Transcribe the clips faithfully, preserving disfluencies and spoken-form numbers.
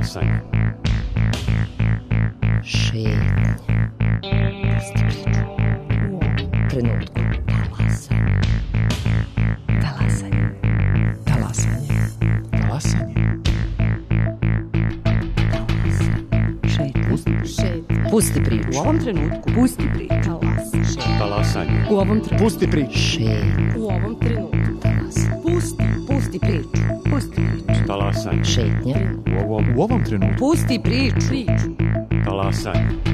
Talasanje. Šetnja. Pusti priču. U ovom trenutku. Talasanje. Talasanje. Talasanje. Talasanje. Šetnja. Pusti priču. Šetnja. Pusti priču. U ovom trenutku. Pusti priču. Talasanje. Talasanje. U ovom trenutku. Pusti priču. Šetnja. U ovom trenutku. Talasanje. Pusti. Pusti priču. Pusti priču. Talasanje. Šetnja. U ovom, U ovom trenutku. Pusti priču. Priču. talasanje.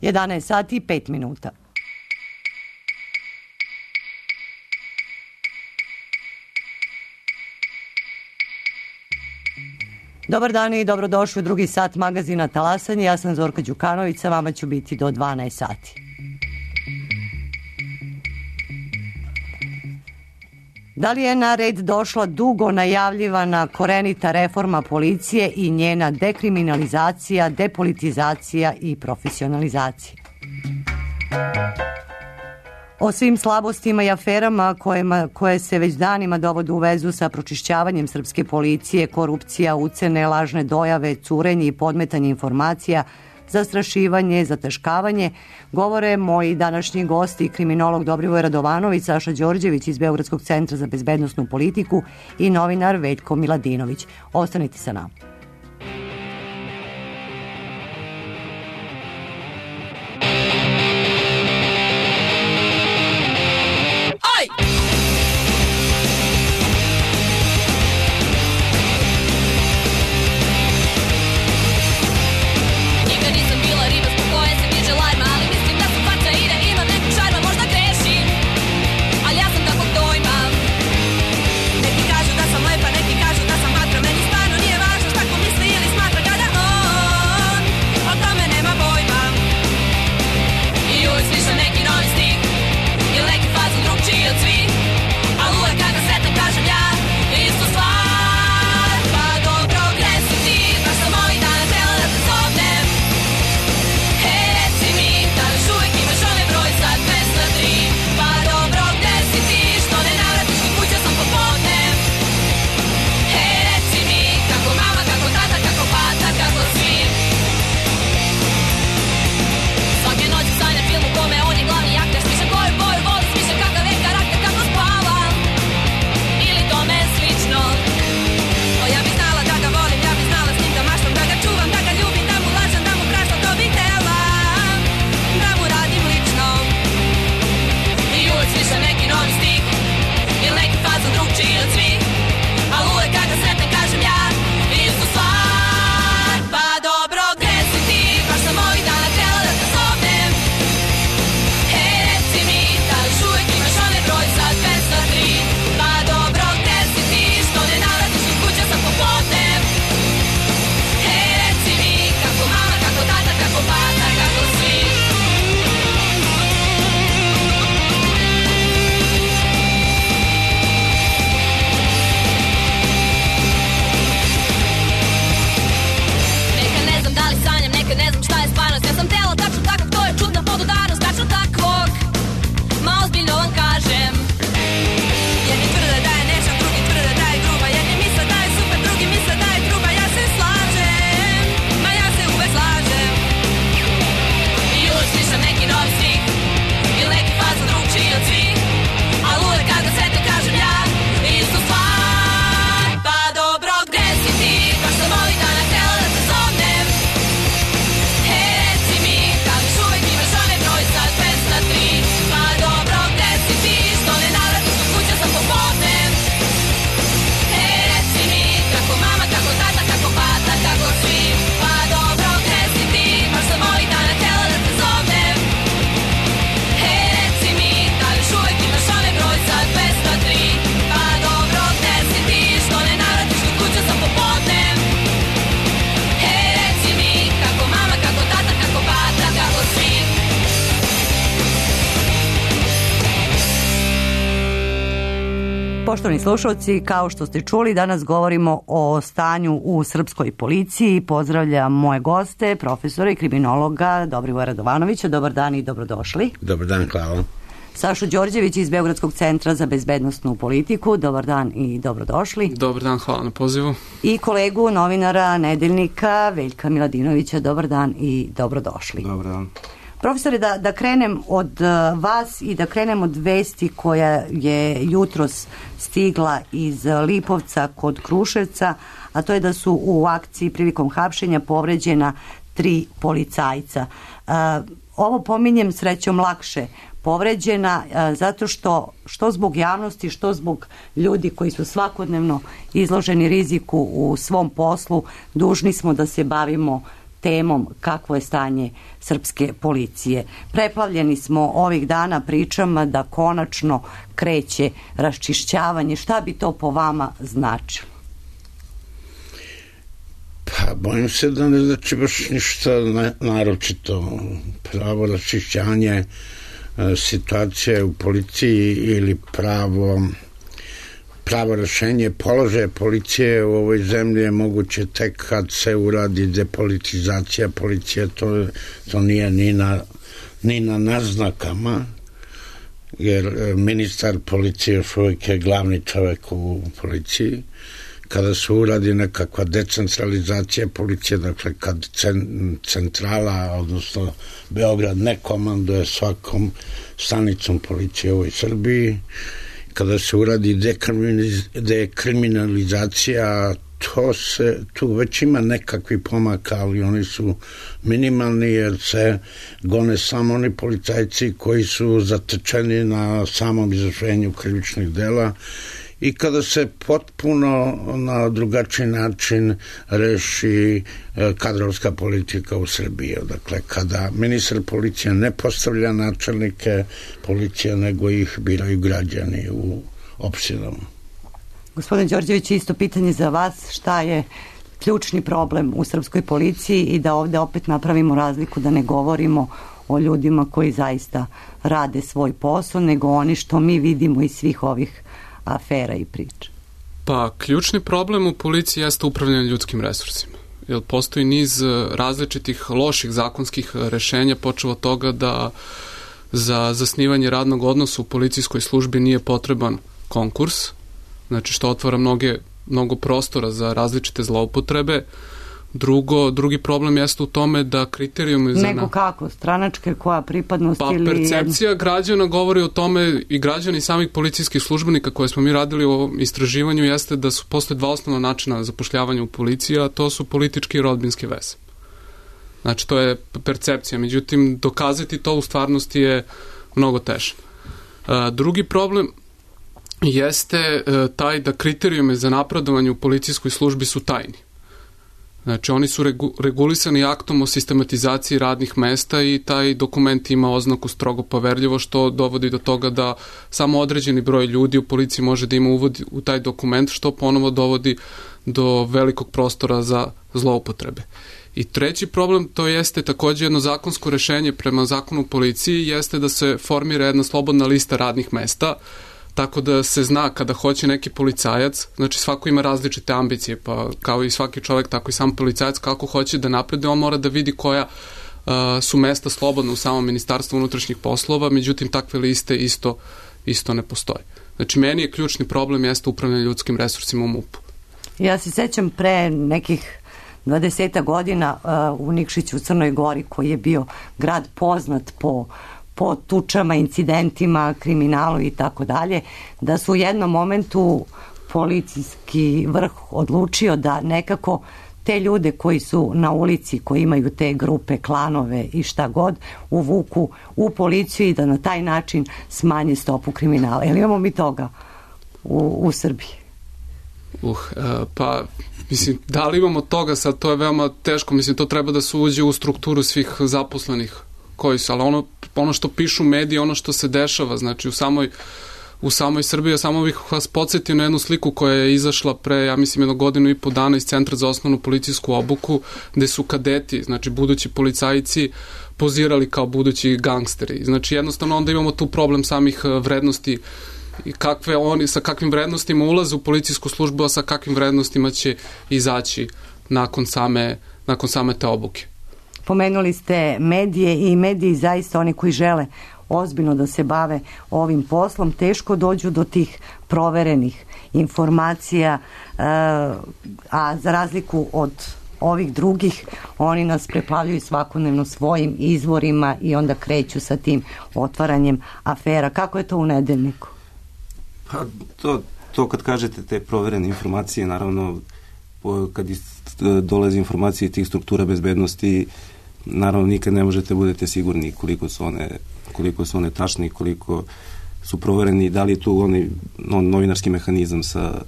jedanaest sati i pet minuta. Dobar dan i dobrodošli u drugi sat magazina Talasanje. Ja sam Zorka Đukanović, sa vama ću biti do dvanaest sati. Da li je na red došla dugo najavljivana korenita reforma policije i njena dekriminalizacija, depolitizacija i profesionalizacija? O svim slabostima i aferama kojima, koje se već danima dovode u vezu sa pročišćavanjem srpske policije, korupcija, ucene, lažne dojave, curenje i podmetanje informacija, zastrašivanje, zataškavanje, govore moji današnji gosti, kriminolog Dobrivoje Radovanović, Saša Đorđević iz Beogradskog centra za bezbednosnu politiku i novinar Veljko Miladinović. Ostanite sa nama. Neki kažu da sam lepa, neki kažu da sam vatra, meni stvarno nije važno šta ko Poštovani slušalci, kao što ste čuli, danas govorimo o stanju u srpskoj policiji. Pozdravljam moje goste, profesora i kriminologa Dobrivoja Radovanovića. Dobar dan i dobrodošli. Dobar dan, hvala. Sašu Đorđević iz Beogradskog centra za bezbednosnu politiku. Dobar dan i dobrodošli. Dobar dan, hvala na pozivu. I kolegu novinara Nedeljnika Veljka Miladinovića. Dobar dan i dobrodošli. Dobar dan. Profesore, da, da krenem od uh, vas i da krenem od vesti koja je jutros stigla iz Lipovca kod Kruševca, a to je da su u akciji prilikom hapšenja povređena tri policajca. Uh, ovo pominjem srećom lakše povređena uh, zato što što zbog javnosti, što zbog ljudi koji su svakodnevno izloženi riziku u svom poslu, dužni smo da se bavimo temom kakvo je stanje srpske policije. Preplavljeni smo ovih dana pričama da konačno kreće raščišćavanje. Šta bi to po vama značilo? Pa, bojim se da ne znači baš ništa naročito. Pravo raščišćanje situacije u policiji ili pravo pravo rešenje položaja policije u ovoj zemlji je moguće tek kad se uradi depolitizacija policije. To, to nije ni na, ni na naznakama, jer ministar policije još uvijek je glavni čovjek u policiji. Kada se uradi nekakva decentralizacija policije, dakle kad centrala, odnosno Beograd, ne komanduje svakom stanicom policije u ovoj Srbiji, kada se uradi dekriminalizacija, to se, tu već ima nekakvi pomaka, ali oni su minimalni jer se gone samo oni policajci koji su zatečeni na samom izvršenju krivičnih dela i kada se potpuno na drugačiji način reši kadrovska politika u Srbiji. Dakle, kada ministar policije ne postavlja načelnike policije, nego ih biraju građani u opštinama. Gospodin Đorđević, isto pitanje za vas. Šta je ključni problem u srpskoj policiji i da ovde opet napravimo razliku, da ne govorimo o ljudima koji zaista rade svoj posao, nego oni što mi vidimo iz svih ovih afera i priča? Pa, ključni problem u policiji jeste upravljanje ljudskim resursima. Jer postoji niz različitih loših zakonskih rešenja, počeo od toga da za zasnivanje radnog odnosa u policijskoj službi nije potreban konkurs, znači što otvara mnoge, mnogo prostora za različite zloupotrebe. Drugo, drugi problem jeste u tome da kriterijumi za... Nego kako? Stranačke, koja pripadnost pa, ili... Pa percepcija građana govori o tome, i građani samih policijskih službenika koje smo mi radili u ovom istraživanju, jeste da su postoje dva osnovna načina zapošljavanja u policiji, a to su političke i rodbinske veze. Znači, to je percepcija. Međutim, dokazati to u stvarnosti je mnogo teže. Drugi problem jeste taj da kriterijume za napredovanje u policijskoj službi su tajni. Znači, oni su regu, regulisani aktom o sistematizaciji radnih mesta i taj dokument ima oznaku strogo poverljivo, što dovodi do toga da samo određeni broj ljudi u policiji može da ima uvod u taj dokument, što ponovo dovodi do velikog prostora za zloupotrebe. I treći problem, to jeste takođe jedno zakonsko rešenje prema zakonu o policiji, jeste da se formira jedna slobodna lista radnih mesta, tako da se zna kada hoće neki policajac, znači svako ima različite ambicije, pa kao i svaki čovjek, tako i sam policajac, kako hoće da napreduje, on mora da vidi koja uh, su mesta slobodna u samom Ministarstvu unutrašnjih poslova, međutim takve liste isto, isto ne postoje. Znači, meni je ključni problem jeste upravljanje ljudskim resursima u MUP-u. Ja se sećam pre nekih dvadeset godina uh, u Nikšiću u Crnoj Gori, koji je bio grad poznat po po tučama, incidentima, kriminalu i tako dalje, da su u jednom momentu policijski vrh odlučio da nekako te ljude koji su na ulici, koji imaju te grupe, klanove i šta god, uvuku u policiju i da na taj način smanje stopu kriminala. Jel imamo mi toga u, u Srbiji? Uh, pa, mislim, da li imamo toga sad, to je veoma teško, mislim, to treba da se uđe u strukturu svih zaposlenih koji su, ali ono, ono što pišu mediji, ono što se dešava, znači u samoj, u samoj Srbiji, ja samo bih vas podsjetio na jednu sliku koja je izašla pre, ja mislim, jedno godinu i po dana iz Centra za osnovnu policijsku obuku, gde su kadeti, znači budući policajci, pozirali kao budući gangsteri. Znači jednostavno onda imamo tu problem samih vrednosti i kakve oni, sa kakvim vrednostima ulaze u policijsku službu, a sa kakvim vrednostima će izaći nakon same, nakon same te obuke. Pomenuli ste medije i mediji zaista oni koji žele ozbiljno da se bave ovim poslom, teško dođu do tih proverenih informacija, a za razliku od ovih drugih, oni nas preplavljuju svakodnevno svojim izvorima i onda kreću sa tim otvaranjem afera. Kako je to u Nedeljniku? Pa to, to kad kažete te proverene informacije, naravno kad dolaze informacije tih struktura bezbednosti, naravno nikad ne možete budete sigurni koliko su one, koliko su one tačne i koliko su provereni, da li je tu onaj on, novinarski mehanizam sa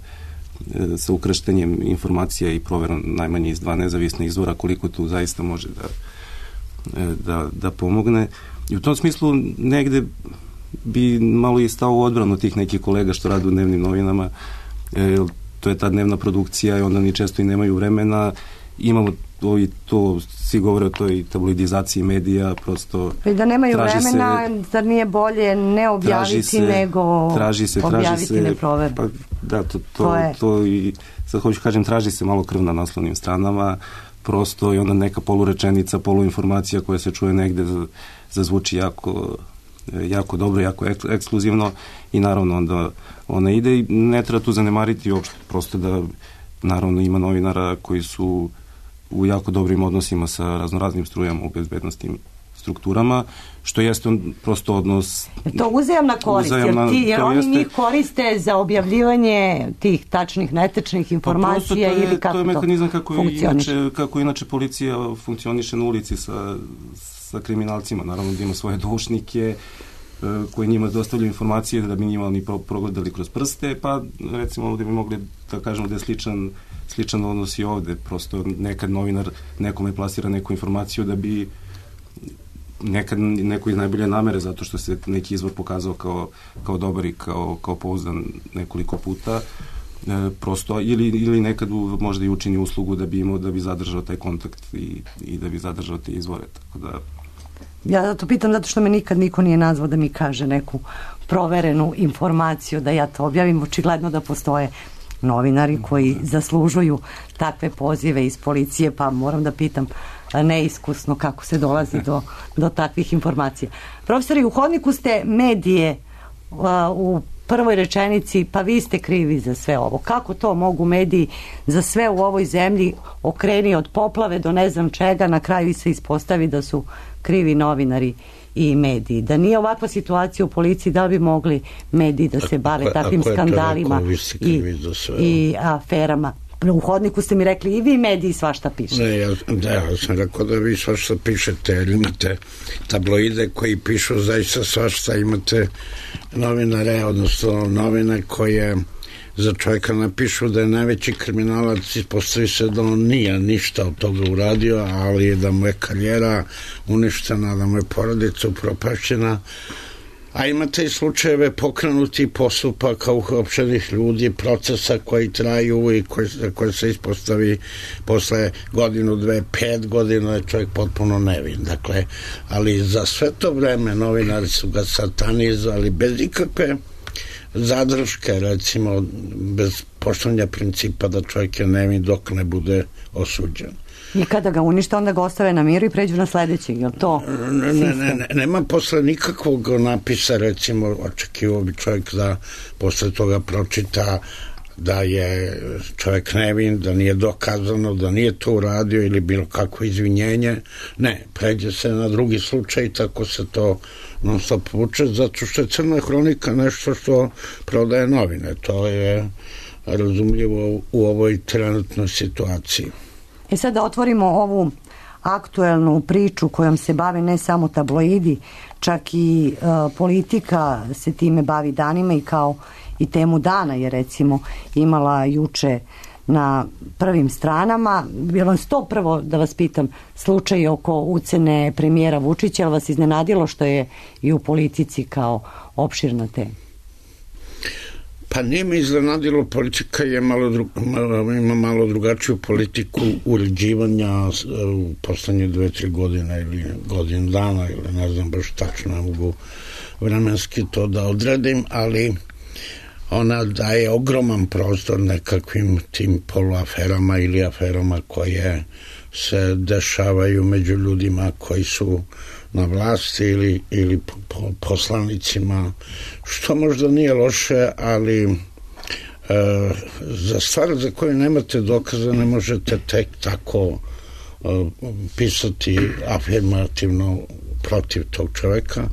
sa ukrštenjem informacija i proverom najmanje iz dva nezavisna izvora, koliko tu zaista može da, da, da pomogne. I u tom smislu negde bi malo i stao u odbranu tih nekih kolega što rade u dnevnim novinama. E, to je ta dnevna produkcija i onda oni često i nemaju vremena. Imamo to i to, svi govore o toj tabloidizaciji medija, prosto I da nemaju vremena, se, zar nije bolje ne objaviti se, nego traži se, objaviti traži se, neproverno? Pa, da, to, to, to, je... to i sad hoću kažem, traži se malo krv na naslovnim stranama, prosto i onda neka polurečenica, poluinformacija koja se čuje negde zazvuči jako jako dobro, jako ekskluzivno i naravno onda ona ide i ne treba tu zanemariti uopšte, prosto da naravno ima novinara koji su u jako dobrim odnosima sa raznoraznim strujama u bezbednostnim strukturama, što jeste on prosto odnos... To uzajamna korist, uzajamna, jer, ti, jer oni jeste, njih koriste za objavljivanje tih tačnih, netečnih informacija pa ili kako to to je mehanizam kako inače, kako inače policija funkcioniše na ulici sa, sa kriminalcima. Naravno da ima svoje doušnike koji njima dostavljaju informacije da bi njima oni progledali kroz prste, pa recimo ovdje bi mogli da kažemo da je sličan sličan odnos i ovde, prosto nekad novinar nekome plasira neku informaciju da bi nekad neko iz najbolje namere, zato što se neki izvor pokazao kao, kao dobar i kao, kao pouzdan nekoliko puta, e, prosto, ili, ili nekad u, možda i učini uslugu da bi imao, da bi zadržao taj kontakt i, i da bi zadržao te izvore, tako da... Ja to pitam zato što me nikad niko nije nazvao da mi kaže neku proverenu informaciju, da ja to objavim, očigledno da postoje novinari koji zaslužuju takve pozive iz policije, pa moram da pitam neiskusno kako se dolazi do, do takvih informacija. Profesori, u hodniku ste medije uh, u prvoj rečenici, pa vi ste krivi za sve ovo. Kako to mogu mediji za sve u ovoj zemlji okreni od poplave do ne znam čega, na kraju se ispostavi da su krivi novinari i mediji. Da nije ovakva situacija u policiji, da bi mogli mediji da se bave ako, takvim ako skandalima i, i aferama. U hodniku ste mi rekli i vi mediji svašta pišete. Ne, ja, da, ja sam rekao da vi svašta pišete, jer imate tabloide koji pišu zaista svašta, imate novinare, odnosno novine koje za čovjeka napišu da je najveći kriminalac, ispostavi se da on nije ništa od toga uradio, ali da mu je karijera uništena, da mu je porodica upropašćena. A imate i slučajeve pokrenuti postupaka uopštenih ljudi, procesa koji traju i koji, koji se ispostavi posle godinu, dve, pet godina je čovjek potpuno nevin. Dakle, ali za sve to vreme novinari su ga satanizovali bez ikakve zadrške, recimo bez poštovanja principa da čovjek je nevin dok ne bude osuđen. I kada ga unište, onda ga ostave na miru i pređu na sledećeg, je li to ne, ne, ne, nema posle nikakvog napisa, recimo, očekivao bi čovjek da posle toga pročita da je čovjek nevin, da nije dokazano, da nije to uradio ili bilo kakvo izvinjenje. Ne, pređe se na drugi slučaj i tako se to non stop vuče, zato što je crna hronika nešto što prodaje novine. To je razumljivo u ovoj trenutnoj situaciji. E sad da otvorimo ovu aktuelnu priču kojom se bave ne samo tabloidi, čak i uh, politika se time bavi danima i kao i temu dana je recimo imala juče na prvim stranama. Bilo je to prvo da vas pitam slučaj oko ucene premijera Vučića, ali vas iznenadilo što je i u politici kao opširna tema? Pa nije me iznenadilo, politika je malo, dru, malo, ima malo drugačiju politiku uređivanja u poslednje dve, tri godine ili godinu dana ili ne znam baš tačno, ne mogu vremenski to da odredim, ali ona daje ogroman prostor nekakvim tim poluaferama ili aferama koje se dešavaju među ljudima koji su na vlasti ili, ili po, poslanicima, što možda nije loše, ali e, za stvar za koju nemate dokaza ne možete tek tako e, pisati afirmativno protiv tog čoveka,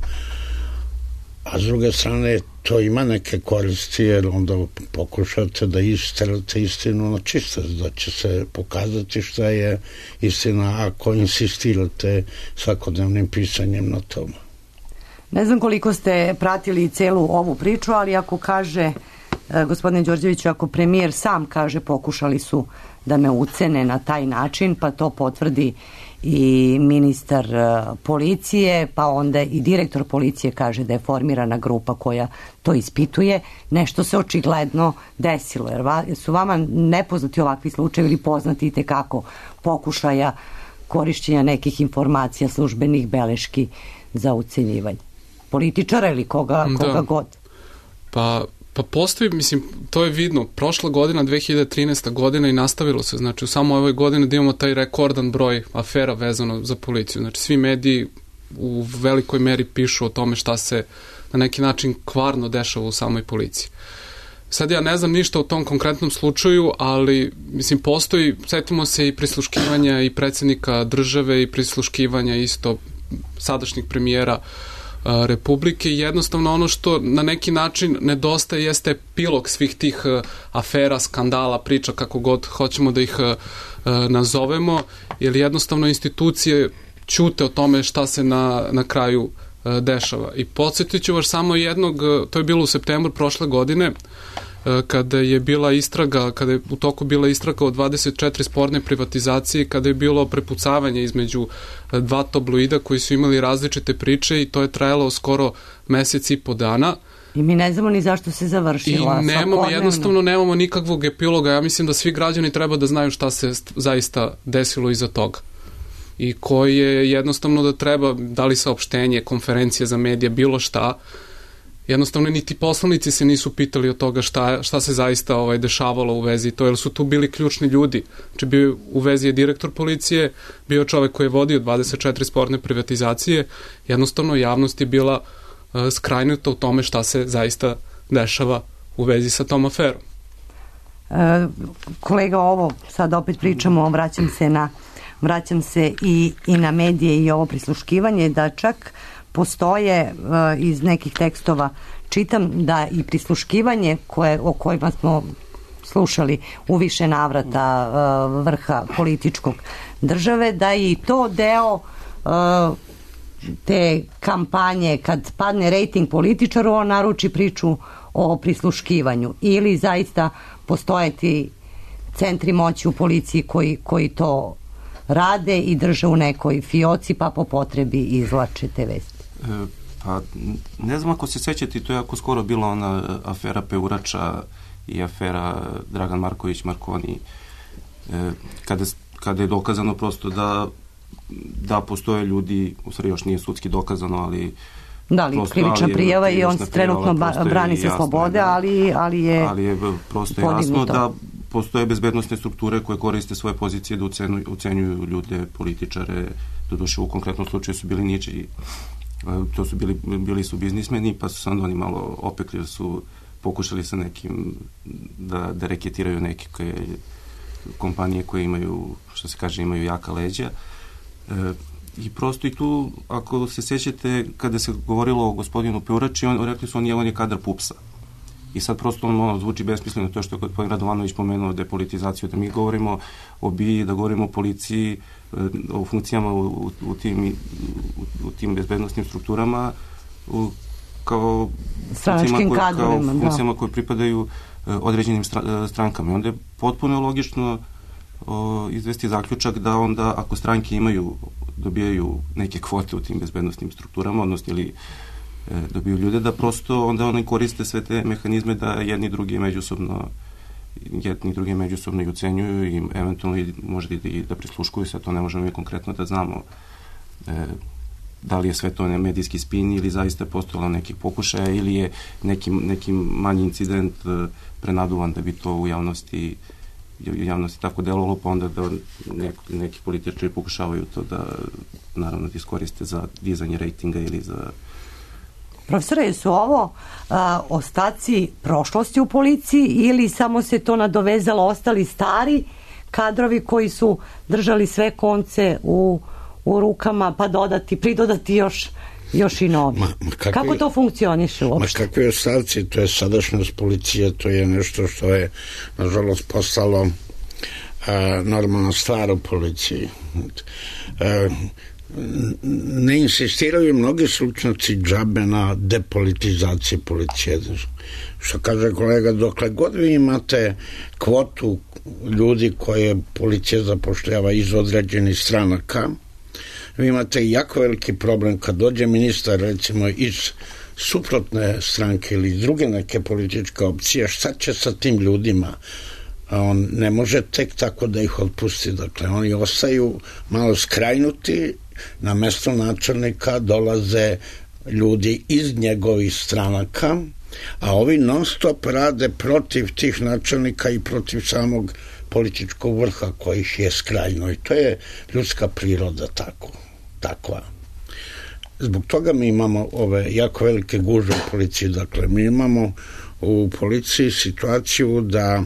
a s druge strane to ima neke koristi, jer onda pokušate da isterate istinu na čistac, da će se pokazati šta je istina ako insistirate svakodnevnim pisanjem na tome. Ne znam koliko ste pratili celu ovu priču, ali ako kaže, gospodine Đorđeviću, ako premijer sam kaže pokušali su da me ucene na taj način, pa to potvrdi i ministar policije, pa onda i direktor policije kaže da je formirana grupa koja to ispituje, nešto se očigledno desilo. Jer su vama nepoznati ovakvi slučajevi ili poznati i tekako pokušaja korišćenja nekih informacija, službenih beleški za ucenjivanje političara ili koga, koga da. god? Pa Pa postoji, mislim, to je vidno, prošla godina, dve hiljade trinaesta godina i nastavilo se, znači u samo ovoj godini da imamo taj rekordan broj afera vezano za policiju, znači svi mediji u velikoj meri pišu o tome šta se na neki način kvarno dešava u samoj policiji. Sad ja ne znam ništa o tom konkretnom slučaju, ali mislim postoji, setimo se i prisluškivanja i predsjednika države i prisluškivanja isto sadašnjeg premijera Republike i jednostavno ono što na neki način nedostaje jeste epilog svih tih afera, skandala, priča, kako god hoćemo da ih nazovemo, jer jednostavno institucije ćute o tome šta se na, na kraju dešava. I podsjetit ću vas samo jednog, to je bilo u septembru prošle godine, kada je bila istraga, kada je u toku bila istraga o dvadeset četiri sporne privatizacije, kada je bilo prepucavanje između dva tabloida koji su imali različite priče i to je trajalo skoro mesec i po dana. I mi ne znamo ni zašto se završila. I nemamo, jednostavno nemamo nikakvog epiloga. Ja mislim da svi građani treba da znaju šta se zaista desilo iza toga. I koji je jednostavno da treba, da li saopštenje, konferencije za medije, bilo šta, jednostavno niti poslanici se nisu pitali od toga šta, šta se zaista ovaj, dešavalo u vezi to, jer su tu bili ključni ljudi. Znači bio u vezi je direktor policije, bio čovek koji je vodio dvadeset četiri sporne privatizacije, jednostavno javnost je bila uh, skrajnuta u tome šta se zaista dešava u vezi sa tom aferom. E, kolega, ovo sad opet pričamo, vraćam se na vraćam se i, i na medije i ovo prisluškivanje, da čak postoje uh, iz nekih tekstova, čitam da i prisluškivanje koje, o kojima smo slušali u više navrata uh, vrha političkog države, da je i to deo uh, te kampanje kad padne rejting političaru, on naruči priču o prisluškivanju, ili zaista postoje ti centri moći u policiji koji, koji to rade i drže u nekoj fioci pa po potrebi izvlače te vesti. E, pa ne znam ako se sećate, to je jako skoro bila ona afera Peurača i afera Dragan Marković Markoni, e, kada, kada je dokazano prosto da da postoje ljudi, u stvari još nije sudski dokazano, ali da, ali krivična prijava i on se trenutno brani se slobode, ali, ali je ali je prosto jasno da postoje bezbednosne strukture koje koriste svoje pozicije da ucenjuju, ucenjuju ljude, političare, doduše u konkretnom slučaju su bili ničiji, to su bili, bili su biznismeni, pa su sad oni malo opekli, su pokušali sa nekim da, da reketiraju neke koje, kompanije koje imaju, što se kaže, imaju jaka leđa. E, I prosto i tu, ako se sećate, kada se govorilo o gospodinu Peurači, on, rekli su on je, on je kadar pupsa. I sad prosto on ono, zvuči besmisleno to što je gospodin Radovanović pomenuo depolitizaciju, da mi govorimo o B I A, da govorimo o policiji, o funkcijama u, u, u, tim, u, u tim bezbednostnim strukturama, u, kao stranačkim kadrovima, kao funkcijama koje pripadaju određenim strankama. I onda je potpuno logično o, izvesti zaključak da onda ako stranke imaju, dobijaju neke kvote u tim bezbednostnim strukturama, odnosno ili dobiju ljude, da prosto onda oni koriste sve te mehanizme da jedni drugi međusobno jedni drugi međusobno i ucenjuju i eventualno i možda i da prisluškuju se, to ne možemo mi konkretno da znamo. E, da li je sve to ne medijski spin ili zaista je postojalo nekih pokušaja ili je neki, neki manji incident prenaduvan da bi to u javnosti u javnosti tako delovalo, pa onda da neko, neki političari pokušavaju to da naravno iskoriste za dizanje rejtinga ili za... Profesore, su ovo a, ostaci prošlosti u policiji ili samo se to nadovezalo ostali stari kadrovi koji su držali sve konce u, u rukama, pa dodati, pridodati još još i novi. Ma, ma kakvi, kako to funkcioniše uopšte? Ma kakvi ostavci, to je sadašnjost policije, to je nešto što je nažalost postalo a, normalna stvar u policiji. A, ne insistiraju mnogi stručnjaci džabe na depolitizaciji policije. Što kaže kolega, dokle god vi imate kvotu ljudi koje policija zapošljava iz određenih stranaka, vi imate jako veliki problem kad dođe ministar recimo iz suprotne stranke ili iz druge neke političke opcije, šta će sa tim ljudima? On ne može tek tako da ih otpusti, dakle oni ostaju malo skrajnuti, na mesto načelnika dolaze ljudi iz njegovih stranaka, a ovi non stop rade protiv tih načelnika i protiv samog političkog vrha kojih je skrajno i to je ljudska priroda tako, takva. Zbog toga mi imamo ove jako velike gužve u policiji, dakle mi imamo u policiji situaciju da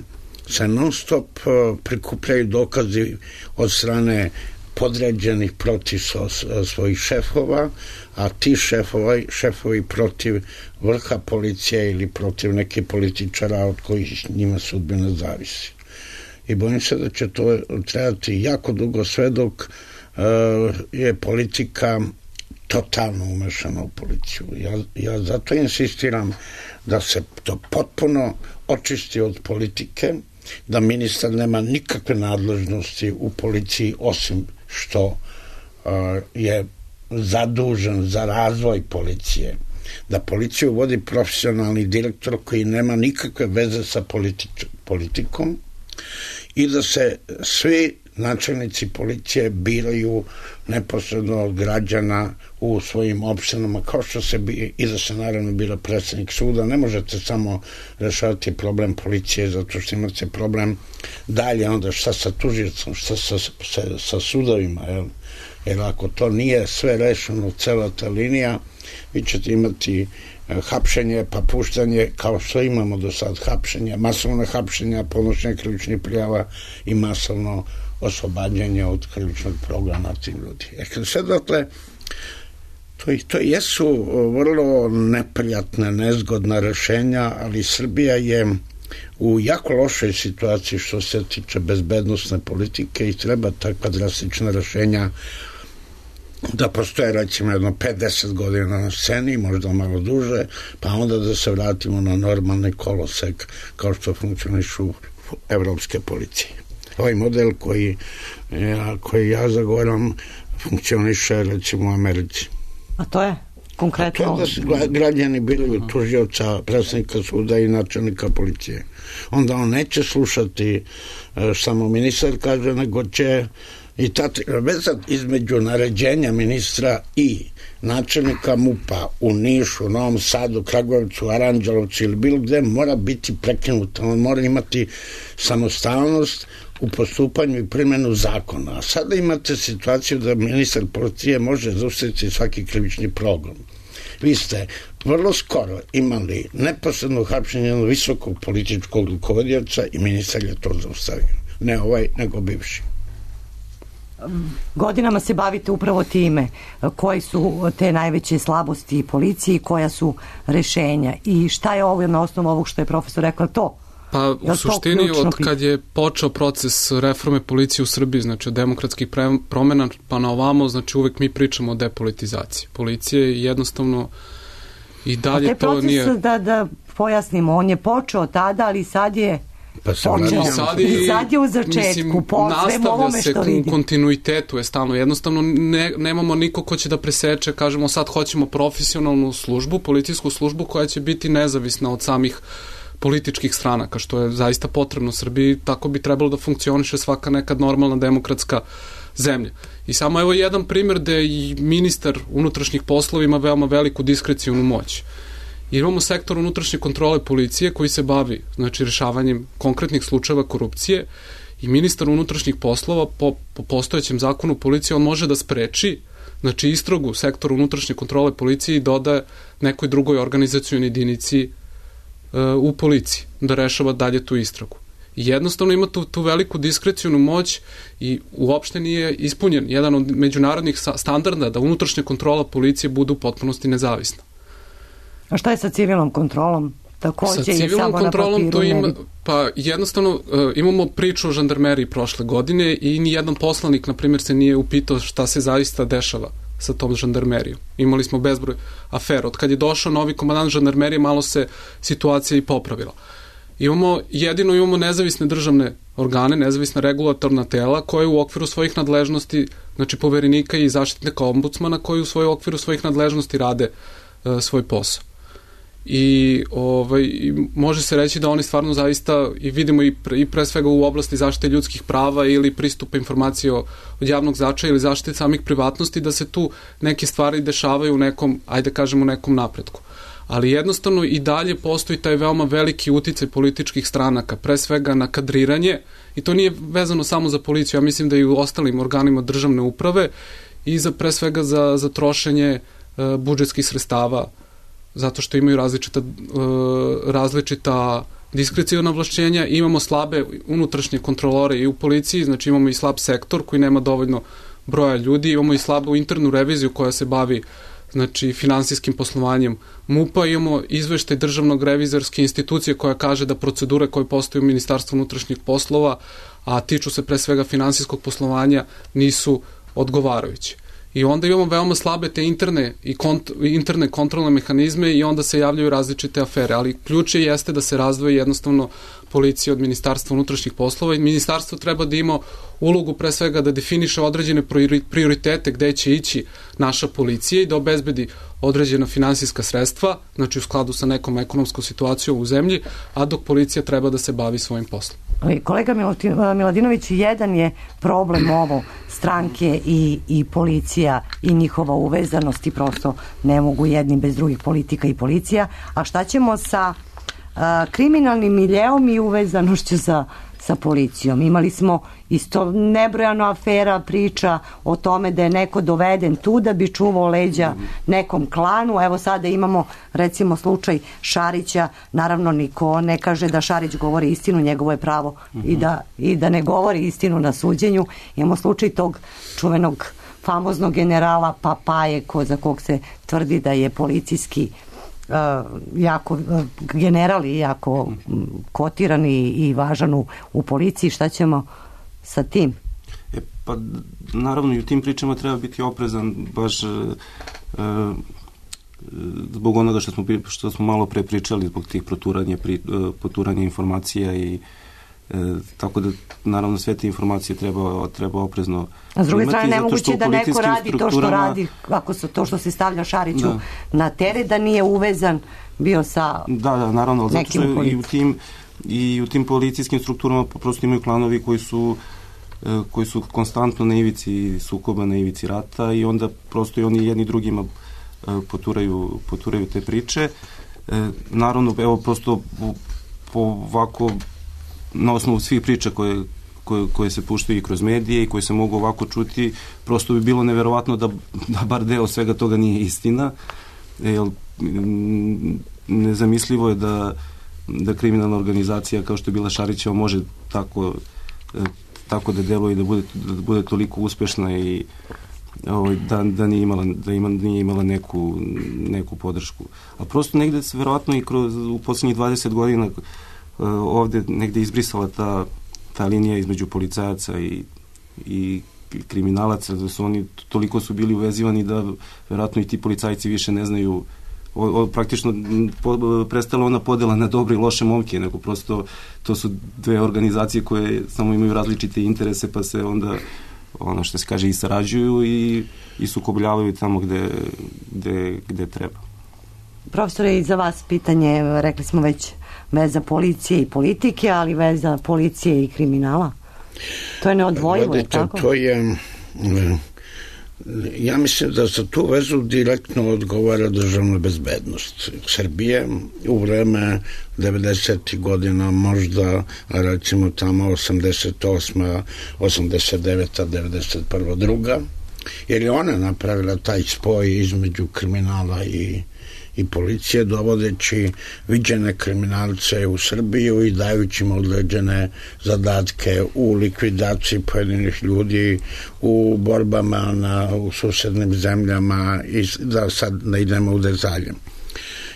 se non stop prikupljaju dokazi od strane podređenih protiv svojih šefova, a ti šefovi, šefovi protiv vrha policije ili protiv nekih političara od kojih njima sudbina zavisi. I bojim se da će to trebati jako dugo sve dok uh, je politika totalno umešana u policiju. Ja, ja zato insistiram da se to potpuno očisti od politike, da ministar nema nikakve nadležnosti u policiji osim što uh, je zadužen za razvoj policije, da policiju vodi profesionalni direktor koji nema nikakve veze sa politič- politikom i da se svi načelnici policije biraju neposredno od građana u svojim opštinama, kao što se bi, i da se naravno bira predsjednik suda. Ne možete samo rešavati problem policije zato što imate problem dalje onda šta sa tužicom, šta sa, sa, sa sudovima, jel? Jer ako to nije sve rešeno, cela ta linija, vi ćete imati hapšenje, pa puštanje, kao što imamo do sad hapšenja, masovne hapšenja, podnošenje krivičnih prijava i masovno oslobađanje od krivičnog progona tim ljudi. E, sve dakle, to, to jesu vrlo neprijatne, nezgodna rešenja, ali Srbija je u jako lošoj situaciji što se tiče bezbednosne politike i treba takva drastična rešenja da postoje recimo jedno pet do deset godina na sceni, možda malo duže, pa onda da se vratimo na normalni kolosek kao što funkcionišu evropske policije. Ovaj model koji ja, koji ja zagovaram funkcioniše recimo u Americi. A to je konkretno? A to je da građani biraju tužioca, predsjednika suda i načelnika policije. Onda on neće slušati samo ministar kaže, nego će i ta veza između naređenja ministra i načelnika MUP-a u Nišu, Novom Sadu, Kragujevcu, Aranđelovcu ili bilo gde mora biti prekinuta. On mora imati samostalnost u postupanju i primjenu zakona. A sada imate situaciju da ministar policije može zaustaviti svaki krivični progon. Vi ste vrlo skoro imali neposredno hapšenje jednog visokog političkog rukovodioca i ministar je to zaustavio. Ne ovaj, nego bivši. Godinama se bavite upravo time koji su te najveće slabosti policije i koja su rešenja i šta je ovo na osnovu ovog što je profesor rekla to? Pa u suštini od kad je počeo proces reforme policije u Srbiji, znači od demokratskih promjena pa na ovamo, znači uvek mi pričamo o depolitizaciji policije i jednostavno i dalje to proces, nije... Da, da pojasnimo, on je počeo tada, ali sad je Pa se počeo. Sad I, I sad je u začetku, mislim, po svem ovome što vidi. U kontinuitetu je stalno. Jednostavno ne, nemamo niko ko će da preseče, kažemo sad hoćemo profesionalnu službu, policijsku službu koja će biti nezavisna od samih političkih stranaka, što je zaista potrebno u Srbiji, tako bi trebalo da funkcioniše svaka nekad normalna demokratska zemlje. I samo evo jedan primjer gde i ministar unutrašnjih poslova ima veoma veliku diskrecijonu moć. Imamo sektor unutrašnje kontrole policije koji se bavi, znači, rešavanjem konkretnih slučajeva korupcije i ministar unutrašnjih poslova po, po postojećem zakonu policije on može da spreči, znači, istragu sektora unutrašnje kontrole policije i dodaje nekoj drugoj organizacionoj jedinici uh, u policiji da rešava dalje tu istragu. I jednostavno ima tu, tu veliku diskrecijonu moć i uopšte nije ispunjen jedan od međunarodnih standarda da unutrašnja kontrola policije bude u potpunosti nezavisna. A šta je sa civilnom kontrolom? Takođe sa civilnom kontrolom to ima, pa jednostavno uh, imamo priču o žandarmeriji prošle godine i ni jedan poslanik, na primjer, se nije upitao šta se zaista dešava sa tom žandarmerijom. Imali smo bezbroj afera. Od kad je došao novi komandant žandarmerije, malo se situacija i popravila. Imamo, jedino imamo nezavisne državne organe, nezavisna regulatorna tela koje u okviru svojih nadležnosti, znači poverenika i zaštitnika ombudsmana, koji u svoj okviru svojih nadležnosti rade uh, svoj posao. I, ovaj, i može se reći da oni stvarno zaista, i vidimo i pre, i pre svega u oblasti zaštite ljudskih prava ili pristupa informacije od javnog značaja ili zaštite samih privatnosti, da se tu neke stvari dešavaju u nekom, ajde kažemo, nekom napretku. Ali jednostavno i dalje postoji taj veoma veliki uticaj političkih stranaka, pre svega na kadriranje, i to nije vezano samo za policiju, ja mislim da i u ostalim organima državne uprave, i za pre svega za, za trošenje uh, budžetskih sredstava, zato što imaju različita, uh, različita diskreciona ovlašćenja. Imamo slabe unutrašnje kontrolore i u policiji, znači imamo i slab sektor koji nema dovoljno broja ljudi, imamo i slabu internu reviziju koja se bavi, znači, finansijskim poslovanjem MUP-a, imamo izveštaj državnog revizorske institucije koja kaže da procedure koje postoje u Ministarstvu unutrašnjih poslova, a tiču se pre svega finansijskog poslovanja, nisu odgovarajući. I onda imamo veoma slabe te interne i kont, interne kontrolne mehanizme i onda se javljaju različite afere, ali ključ je jeste da se razdvoji jednostavno policija od Ministarstva unutrašnjih poslova i ministarstvo treba da ima ulogu pre svega da definiše određene prioritete gde će ići naša policija i da obezbedi određena finansijska sredstva, znači u skladu sa nekom ekonomskom situacijom u zemlji, a dok policija treba da se bavi svojim poslom. Kolega Miladinović, jedan je problem ovo, stranke i, i policija i njihova uvezanost i prosto ne mogu jedni bez drugih, politika i policija, a šta ćemo sa a, kriminalnim miljeom i uvezanošću sa, sa policijom? Imali smo isto nebrojano afera, priča o tome da je neko doveden tu da bi čuvao leđa nekom klanu. Evo sada imamo recimo slučaj Šarića, naravno niko ne kaže da Šarić govori istinu, njegovo je pravo i da, i da ne govori istinu na suđenju. Imamo slučaj tog čuvenog famoznog generala Papaje, ko, za kog se tvrdi da je policijski Uh, jako, uh, general i jako um, kotiran i, i važan u, u policiji. Šta ćemo sa tim? E, pa naravno i u tim pričama treba biti oprezan baš uh, uh, zbog onoga što smo, što smo malo pre pričali, zbog tih proturanja, pri, uh, poturanja informacija i E, tako da naravno sve te informacije treba, treba oprezno. A s druge strane nemoguće da neko radi to što radi, ako su to što se stavlja Šariću da. na teret, da nije uvezan bio sa da, da, naravno, zato što i u tim i u tim policijskim strukturama prosto imaju klanovi koji su koji su konstantno na ivici sukoba, na ivici rata i onda prosto i oni jedni drugima poturaju, poturaju te priče. E, naravno, evo prosto po ovako na osnovu svih priča koje, koje, koje se puštaju i kroz medije i koje se mogu ovako čuti, prosto bi bilo neverovatno da, da bar deo svega toga nije istina, jer nezamislivo je da, da kriminalna organizacija kao što je bila Šarićeva može tako, tako da deluje i da bude, da bude toliko uspešna i da, da nije imala, da ima, nije imala neku, neku podršku. A prosto negde se verovatno i kroz, u poslednjih dvadeset godina ovde negde izbrisala ta, ta linija između policajaca i, i kriminalaca, da su oni toliko su bili uvezivani da verovatno i ti policajci više ne znaju o, o, praktično po, prestala ona podela na dobre i loše momke, nego prosto to su dve organizacije koje samo imaju različite interese pa se onda ono što se kaže i sarađuju i, i sukobljavaju tamo gde, gde, gde treba. Profesore, i za vas pitanje, rekli smo već veza policije i politike, ali veza policije i kriminala. To je neodvojivo, je tako? To je Ja mislim da za tu vezu direktno odgovara državna bezbednost Srbije u vreme devedesetih godina, možda recimo tamo osamdeset osma, osamdeset deveta, devedeset prva, druga, jer je ona napravila taj spoj između kriminala i i policije, dovodeći viđene kriminalce u Srbiju i dajući im određene zadatke u likvidaciji pojedinih ljudi, u borbama na, u susednim zemljama i da sad ne idemo u detalje.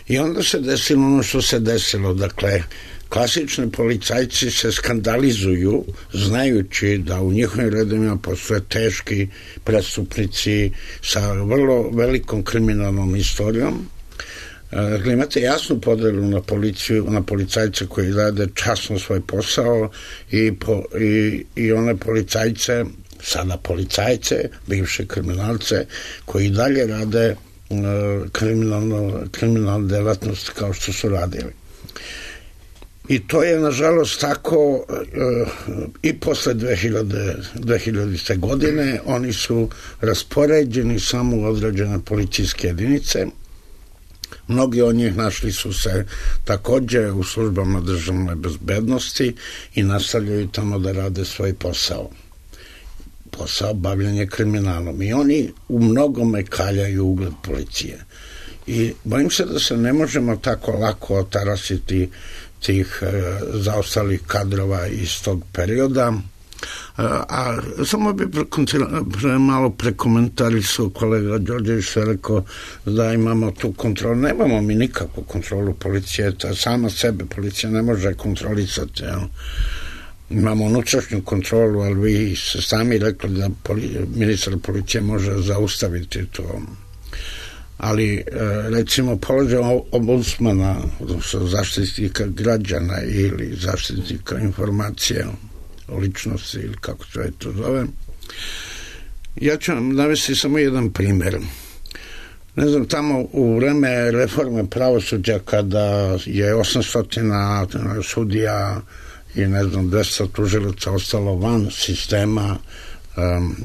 I onda se desilo ono što se desilo, dakle, klasični policajci se skandalizuju znajući da u njihovim redovima postoje teški prestupnici sa vrlo velikom kriminalnom istorijom. Dakle, imate jasnu podelu na policiju, na policajce koji rade časno svoj posao i, po, i, i one policajce, sada policajce, bivše kriminalce, koji dalje rade uh, kriminalno, kriminalne delatnosti kao što su radili. I to je, nažalost, tako uh, i posle dve hiljadite. godine. Oni su raspoređeni samo u određene policijske jedinice. Mnogi od njih našli su se takođe u službama državne bezbednosti i nastavljaju tamo da rade svoj posao. Posao bavljanja kriminalom. I oni u mnogome kaljaju ugled policije. I bojim se da se ne možemo tako lako otarasiti tih e, zaostalih kadrova iz tog perioda. A, a samo bi pre, pre, malo prekomentarisao kolega Đorđević što je rekao da imamo tu kontrolu. Nemamo mi nikakvu kontrolu policije, ta sama sebe policija ne može kontrolisati. Jel? Imamo unutrašnju kontrolu, ali vi ste sami rekli da poli, ministar policije može zaustaviti to. Ali recimo položaj ombudsmana, zaštitnika građana ili zaštitnika informacija o ličnosti ili kako se to zove. Ja ću vam navesti samo jedan primjer. Ne znam, tamo u vreme reforme pravosuđa kada je osamsto sudija i ne znam dvesta tužilaca ostalo van sistema, um,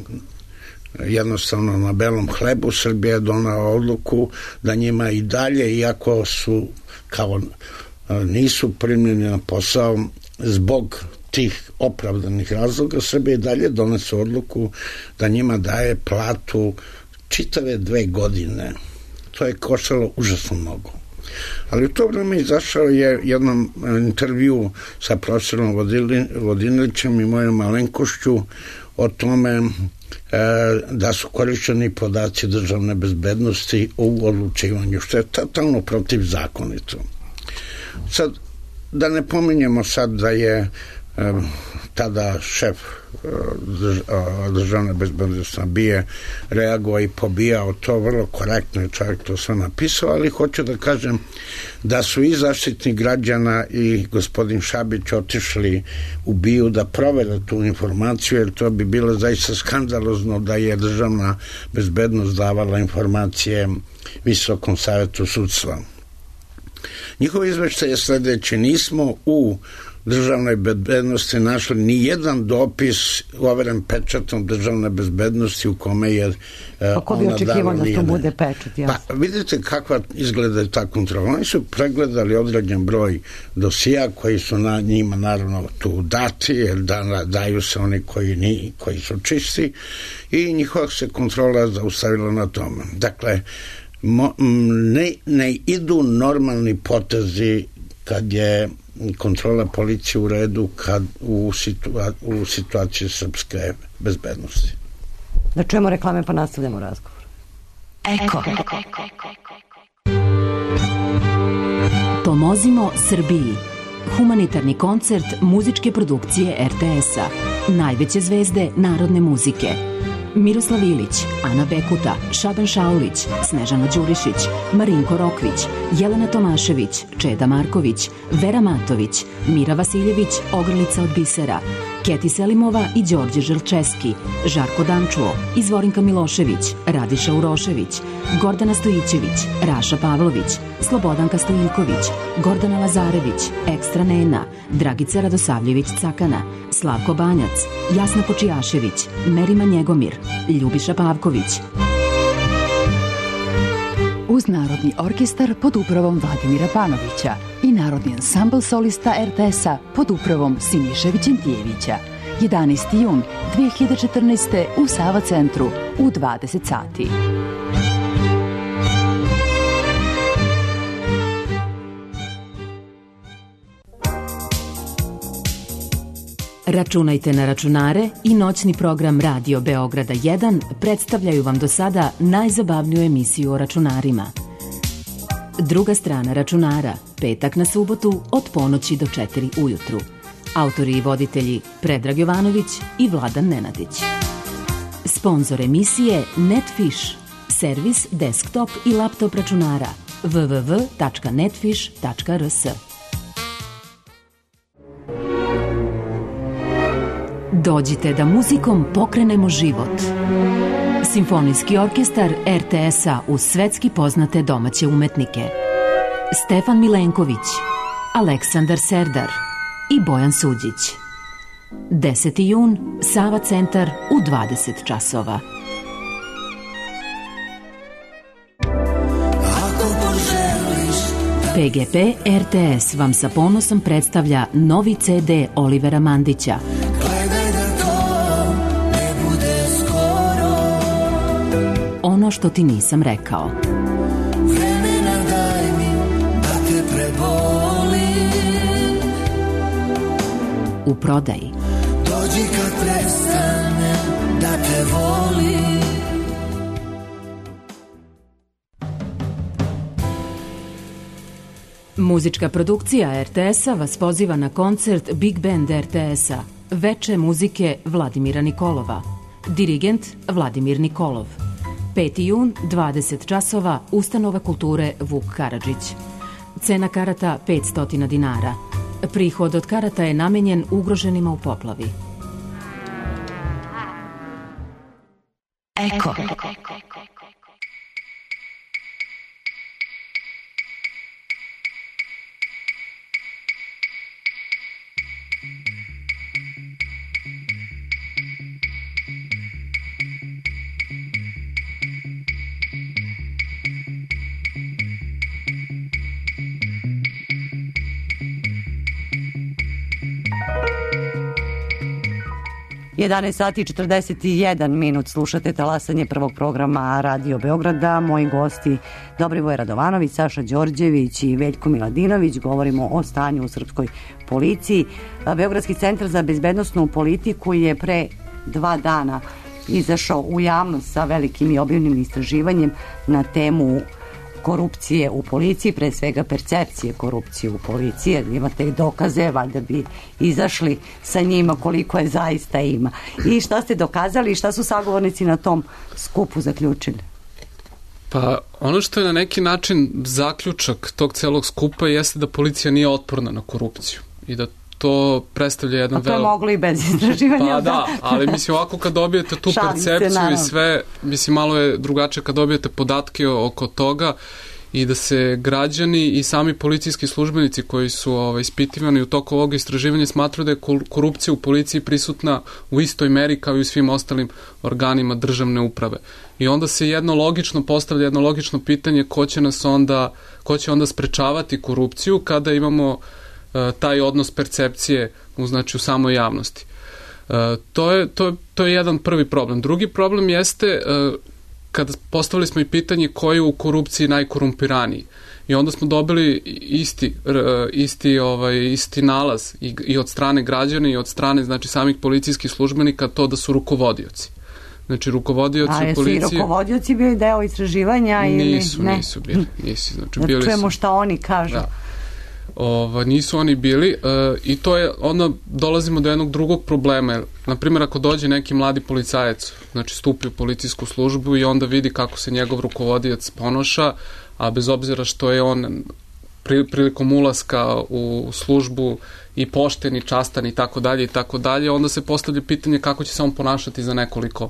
jednostavno na belom hlebu, Srbija je donela odluku da njima i dalje, iako su kao nisu primljeni na posao zbog tih opravdanih razloga, Srbija i dalje donese odluku da njima daje platu čitave dve godine. To je koštalo užasno mnogo. Ali u to vreme izašao je jednom intervju sa profesorom Vodinilićem i mojom malenkošću o tome e, da su korišćeni podaci državne bezbednosti u odlučivanju, što je totalno protivzakonito. Sad, da ne pominjemo sad da je e, tada šef državne bezbednosti bije reagovao i pobijao to vrlo korektno, čovjek to sve napisao, ali hoću da kažem da su i Zaštitnik građana i gospodin Šabić otišli u BIA da provere tu informaciju, jer to bi bilo zaista skandalozno da je državna bezbednost davala informacije Visokom savetu sudstva. Njihov izveštaj je sledeći: nismo u državnoj bezbednosti našli ni jedan dopis overen pečatom državne bezbednosti u kome je uh, Kako bi očekivao da to bude pečat? Pa vidite kakva izgleda ta kontrola. Oni su pregledali određen broj dosija koji su na njima naravno tu dati, jer da, daju se oni koji, ni, koji su čisti, i njihova se kontrola zaustavila na tome. Dakle, mo, ne, ne idu normalni potezi kad je kontrola policije u redu kad u, situa u situaciji srpske bezbednosti. Da čujemo reklame pa nastavljamo razgovor. Eko. Pomozimo Srbiji. Humanitarni koncert muzičke produkcije er te es-a. Najveće zvezde narodne muzike. Miroslav Ilić, Ana Bekuta, Šaban Šaulić, Snežana Đurišić, Marinko Rokvić, Jelena Tomašević, Čeda Marković, Vera Matović, Mira Vasiljević, Ogrlica od bisera, Keti Selimova i Đorđe Želčeski, Žarko Dančuo, Izvorinka Milošević, Radiša Urošević, Gordana Stojićević, Raša Pavlović, Slobodanka Stojiljković, Gordana Lazarević, Ekstra Nena, Dragica Radosavljević Cakana, Slavko Banjac, Jasna Kočijašević, Merima Njegomir, Ljubiša Pavković. Uz Narodni orkestar pod upravom Vladimira Panovića i Narodni ansambl solista er te es-a pod upravom Siniše Vićentijevića. jedanaesti jun dve hiljade četrnaeste. u Sava centru u dvadeset sati. Računajte na računare i noćni program Radio Beograda jedan predstavljaju vam do sada najzabavniju emisiju o računarima. Druga strana računara, petak na subotu od ponoći do četiri ujutru. Autori i voditelji Predrag Jovanović i Vladan Nenadić. Sponzor emisije Netfish, servis desktop i laptop računara w w w tačka netfish tačka r s. Dođite da muzikom pokrenemo život. Simfonijski orkestar er te es-a uz svetski poznate domaće umetnike. Stefan Milenković, Aleksandar Serdar i Bojan Suđić. deseti jun, Sava centar u dvadeset časova. pe ge pe er te es vam sa ponosom predstavlja novi ce de Olivera Mandića. Ono što ti nisam rekao. Vremena daj mi da te prebolim. U prodaji. Dođi kad prestane da te volim. Muzička produkcija er te es-a vas poziva na koncert Big Band er te es-a. Veče muzike Vladimira Nikolova. Dirigent Vladimir Nikolov. peti jun, dvadeset časova, Ustanova kulture Vuk Karadžić. Cena karata petsto dinara. Prihod od karata je namenjen ugroženima u poplavi. Eko. jedanaest sati i četrdeset jedan minut, slušate talasanje prvog programa Radio Beograda. Moji gosti Dobrivoje Radovanović, Saša Đorđević i Veljko Miladinović. Govorimo o stanju u srpskoj policiji. Beogradski centar za bezbednosnu politiku je pre dva dana izašao u javnost sa velikim i obimnim istraživanjem na temu korupcije u policiji, pre svega percepcije korupcije u policiji, jer imate dokaze, valjda bi izašli sa njima koliko je zaista ima. I šta ste dokazali i šta su sagovornici na tom skupu zaključili? Pa ono što je na neki način zaključak tog celog skupa jeste da policija nije otporna na korupciju i da to predstavlja jedan a to je velo... moglo i bez istraživanja. Pa da, ali mislim ovako kad dobijete tu percepciju i sve, mislim malo je drugačije kad dobijete podatke oko toga i da se građani i sami policijski službenici koji su ovaj, ispitivani u toku ovog istraživanja smatruju da je korupcija u policiji prisutna u istoj meri kao i u svim ostalim organima državne uprave. I onda se jedno logično postavlja jedno logično pitanje ko će nas onda, ko će onda sprečavati korupciju kada imamo taj odnos percepcije u, znači, u samoj javnosti. Uh, to, je, to, je, to je jedan prvi problem. Drugi problem jeste uh, kada postavili smo i pitanje ko je u korupciji najkorumpiraniji. I onda smo dobili isti, uh, isti, ovaj, isti nalaz i, i od strane građana i od strane znači, samih policijskih službenika to da su rukovodioci. Znači, rukovodioci u policiji... A jesu i rukovodioci bili deo istraživanja ili nisu, ne? Nisu bili. Nisu, znači, da bili čujemo su... šta oni kažu. Da. Ova, nisu oni bili uh, i to je, onda dolazimo do jednog drugog problema. Naprimjer, ako dođe neki mladi policajac, znači stupi u policijsku službu i onda vidi kako se njegov rukovodioc ponoša, a bez obzira što je on prilikom ulaska u službu i pošten i častan i tako dalje i tako dalje, onda se postavlja pitanje kako će se on ponašati za nekoliko,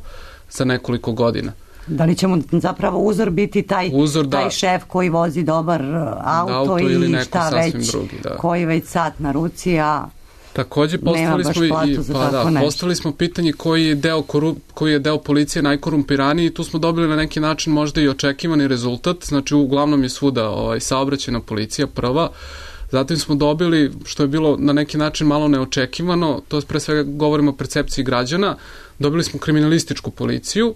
za nekoliko godina. Da li će mu zapravo uzor biti taj, uzor, taj da, šef koji vozi dobar auto, auto i šta već, drugi, da. koji već sat na ruci, a Takođe postavili smo i pa da, postavili smo pitanje koji je deo korup, koji je deo policije najkorumpiraniji i tu smo dobili na neki način možda i očekivani rezultat. Znači uglavnom je svuda ovaj saobraćajna policija prva. Zatim smo dobili, što je bilo na neki način malo neočekivano, to je pre svega govorimo o percepciji građana, dobili smo kriminalističku policiju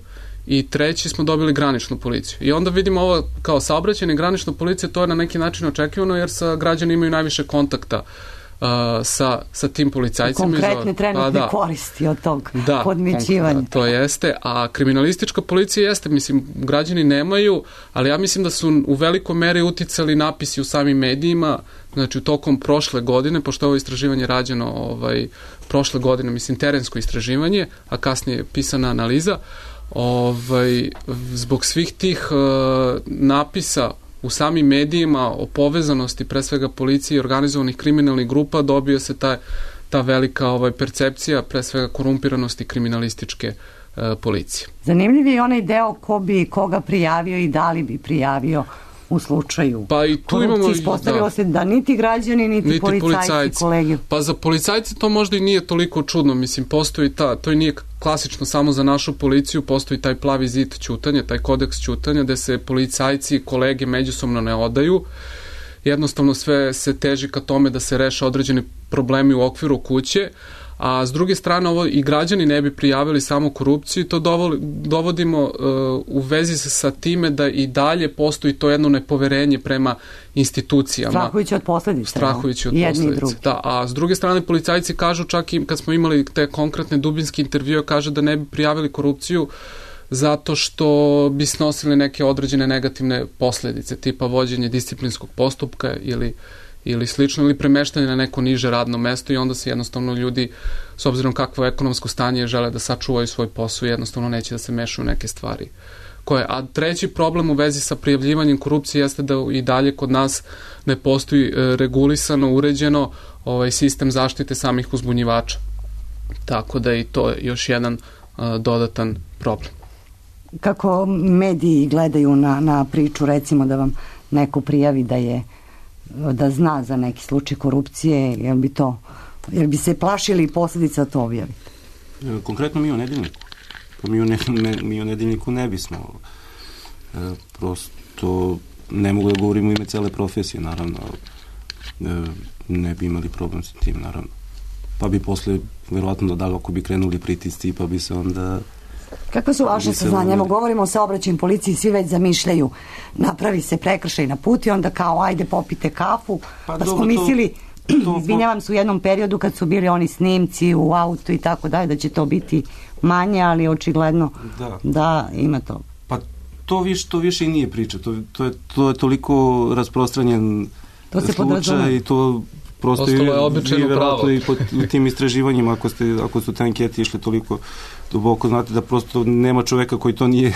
i treći smo dobili graničnu policiju. I onda vidimo ovo kao saobraćajna i granična policija, to je na neki način očekivano jer sa građani imaju najviše kontakta uh, sa, sa tim policajcima. Konkretne trenutne pa, da, koristi od tog da, podmićivanja. Da, to jeste, a kriminalistička policija jeste, mislim, građani nemaju, ali ja mislim da su u velikoj meri uticali napisi u samim medijima, znači u tokom prošle godine, pošto je ovo istraživanje rađeno ovaj, prošle godine, mislim, terensko istraživanje, a kasnije pisana analiza, ovaj, zbog svih tih uh, napisa u samim medijima o povezanosti pre svega policije i organizovanih kriminalnih grupa dobio se ta, ta velika ovaj, percepcija pre svega korumpiranosti kriminalističke uh, policije. Zanimljiv je onaj deo ko bi koga prijavio i da li bi prijavio u slučaju pa i tu korupcije. Imamo, ispostavilo da, se da niti građani, niti, niti policajci, policajci, kolegi. Pa za policajce to možda i nije toliko čudno, mislim, postoji ta, to i nije klasično samo za našu policiju, postoji taj plavi zid ćutanja, taj kodeks ćutanja, gde se policajci i kolege međusobno ne odaju. Jednostavno sve se teži ka tome da se reše određeni problemi u okviru kuće, a s druge strane ovo i građani ne bi prijavili samo korupciju i to dovodimo uh, u vezi sa, sa time da i dalje postoji to jedno nepoverenje prema institucijama. Strahujući od posledica. Strahujući od posledica, da. A s druge strane policajci kažu, čak i kad smo imali te konkretne dubinske intervjue, kaže da ne bi prijavili korupciju zato što bi snosili neke određene negativne posledice, tipa vođenje disciplinskog postupka ili ili slično, ili premeštanje na neko niže radno mesto i onda se jednostavno ljudi, s obzirom kakvo ekonomsko stanje žele da sačuvaju svoj posao, jednostavno neće da se mešaju neke stvari. Koje, a treći problem u vezi sa prijavljivanjem korupcije jeste da i dalje kod nas ne postoji regulisano, uređeno ovaj sistem zaštite samih uzbunjivača. Tako da i to je još jedan uh, dodatan problem. Kako mediji gledaju na, na priču, recimo da vam neko prijavi da je da zna za neki slučaj korupcije, jel bi to, jel bi se plašili posledica to objaviti? Konkretno mi u Nedeljniku. Pa mi u, ne, ne, mi u Nedeljniku ne bismo. E, prosto ne mogu da govorim u ime cele profesije, naravno. E, ne bi imali problem sa tim, naravno. Pa bi posle, verovatno da daleko bi krenuli pritisci, pa bi se onda... Kakve su vaše saznanja? Evo, govorimo o saobraćajnoj policiji, svi već zamišljaju, napravi se prekršaj na put i onda kao, ajde popite kafu, pa, pa smo mislili, to, izvinjavam se, u jednom periodu kad su bili oni snimci u autu i tako dalje, da će to biti manje, ali očigledno da, da ima to. Pa to više, to više i nije priča, to, to, je, to je toliko rasprostranjen to se slučaj i to prosto je običajno pravo. I po tim istraživanjima, ako, ste, ako su te ankete išle toliko duboko, znate da prosto nema čoveka koji to nije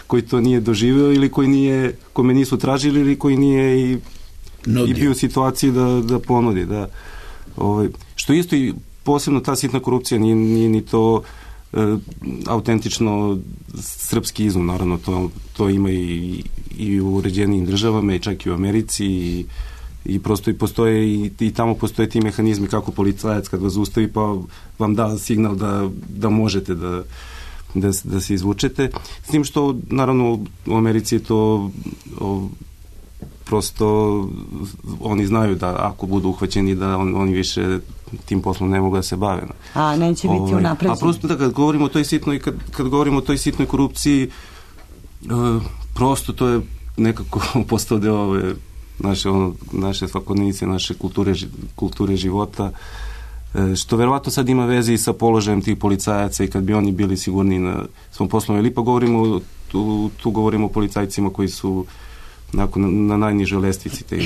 koji to nije doživeo ili koji nije, kome nisu tražili ili koji nije i, i bio u situaciji da, da ponudi. Da, ovaj, što isto i posebno ta sitna korupcija nije, nije ni to e, autentično srpski izum, naravno to, to ima i, i u uređenijim državama i čak i u Americi i i prosto i postoje i, i tamo postoje ti mehanizmi kako policajac kad vas zaustavi pa vam da signal da, da možete da, da, da se izvučete. S tim što naravno u Americi je to o, prosto oni znaju da ako budu uhvaćeni da on, oni više tim poslom ne mogu da se bave. A neće biti ovaj, unapređeni. A prosto da kad govorimo o toj sitnoj kad, kad govorimo o toj sitnoj korupciji uh, prosto to je nekako postao deo ove naše, ono, naše svakodnevnice, naše kulture, kulture života, što verovatno sad ima veze i sa položajem tih policajaca i kad bi oni bili sigurni na svom poslu. Ili pa govorimo, tu, tu govorimo o policajcima koji su nakon, na, na najnižoj lestvici te,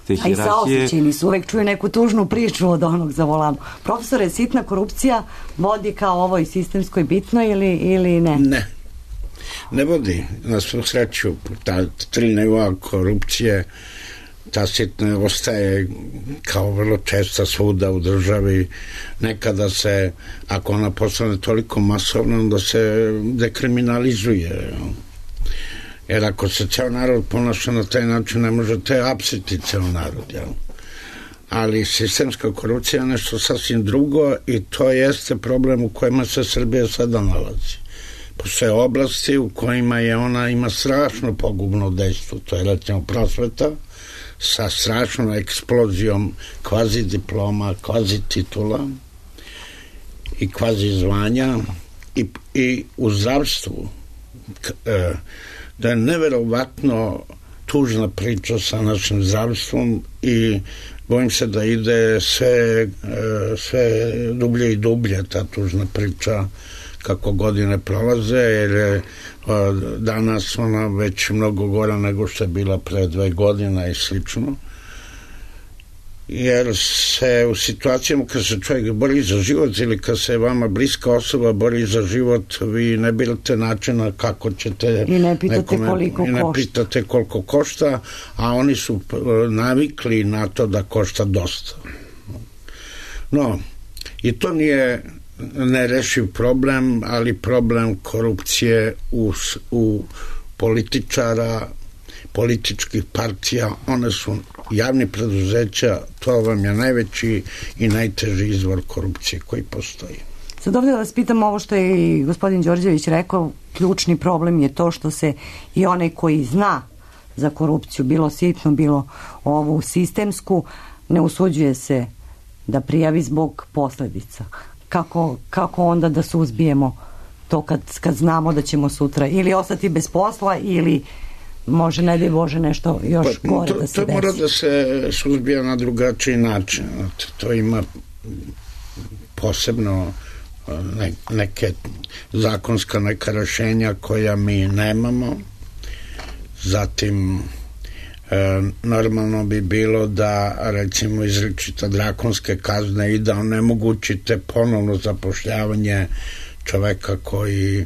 te hijerarhije. A i saosećeni su, uvek čuju neku tužnu priču od onog za volanom. Profesore, sitna korupcija vodi kao ovoj sistemskoj bitno ili, ili ne? Ne. Ne vodi. Na svu sreću, ta tri nivoa korupcije, ta sitna ostaje kao vrlo česta svuda u državi. Nekada se, ako ona postane toliko masovna, onda se dekriminalizuje. Jer ako se ceo narod ponaša na taj način, ne možete apsiti ceo narod. Jel? ali sistemska korupcija je nešto sasvim drugo i to jeste problem u kojima se Srbija sada nalazi. Postoje oblasti u kojima je ona ima strašno pogubno dejstvo, to je recimo prosveta sa strašnom eksplozijom kvazi diploma, kvazi titula i kvazi zvanja i, i u zdravstvu da je neverovatno tužna priča sa našim zdravstvom i bojim se da ide sve, sve dublje i dublje ta tužna priča kako godine prolaze, jer je danas ona već mnogo gora nego što je bila pre dve godine i slično. Jer se u situacijama kad se čovjek bori za život ili kad se vama bliska osoba bori za život, vi ne birate načina kako ćete i ne pitate nekome, koliko i ne košta. pitate koliko košta, a oni su navikli na to da košta dosta. No, i to nije nerešiv problem, ali problem korupcije u, u političara, političkih partija, one su javni preduzeća, to vam je najveći i najteži izvor korupcije koji postoji. Sad ovdje da vas pitam ovo što je i gospodin Đorđević rekao, ključni problem je to što se i onaj koji zna za korupciju, bilo sitno, bilo ovu sistemsku, ne usuđuje se da prijavi zbog posledica. Kako, kako onda da suzbijemo to kad, kad znamo da ćemo sutra ili ostati bez posla ili može, ne daj Bože, nešto još pa, gore to, da se to desi. To mora da se suzbija na drugačiji način. To ima posebno ne, neke zakonska neka rešenja koja mi nemamo. Zatim e, normalno bi bilo da recimo izričite drakonske kazne i da onemogućite ponovno zapošljavanje čoveka koji e,